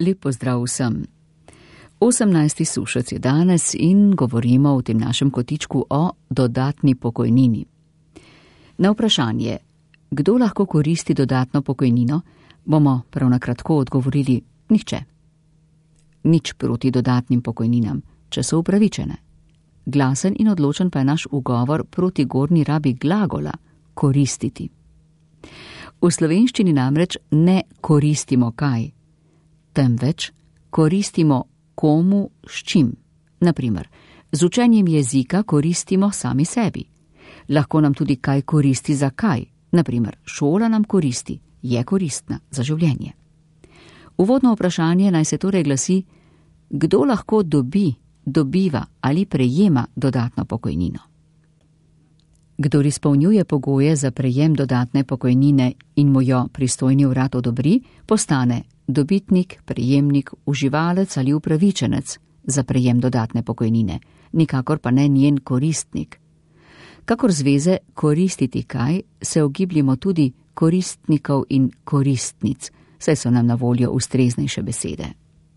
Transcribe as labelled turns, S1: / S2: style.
S1: Lep pozdrav vsem. 18. sušec je danes in govorimo v tem našem kotičku o dodatni pokojnini. Na vprašanje, kdo lahko koristi dodatno pokojnino, bomo prav na kratko odgovorili nihče. Nič proti dodatnim pokojninam, če so upravičene. Glasen in odločen pa je naš ugovor proti gornji rabi glagola koristiti. V slovenščini namreč ne koristimo kaj, temveč koristimo komu s čim. Naprimer, z učenjem jezika koristimo sami sebi. Lahko nam tudi kaj koristi za kaj. Naprimer, šola nam koristi, je koristna za življenje. Uvodno vprašanje naj se torej glasi, kdo lahko dobiva ali prejema dodatno pokojnino. Kdor izpolnjuje pogoje za prejem dodatne pokojnine in mu jo pristojni urad odobri, postane dobitnik, prejemnik, uživalec ali upravičenec za prejem dodatne pokojnine, nikakor pa ne njen koristnik. Kakor zveze koristiti kaj, se ogibljamo tudi koristnikov in koristnic, saj so nam na voljo ustreznejše besede.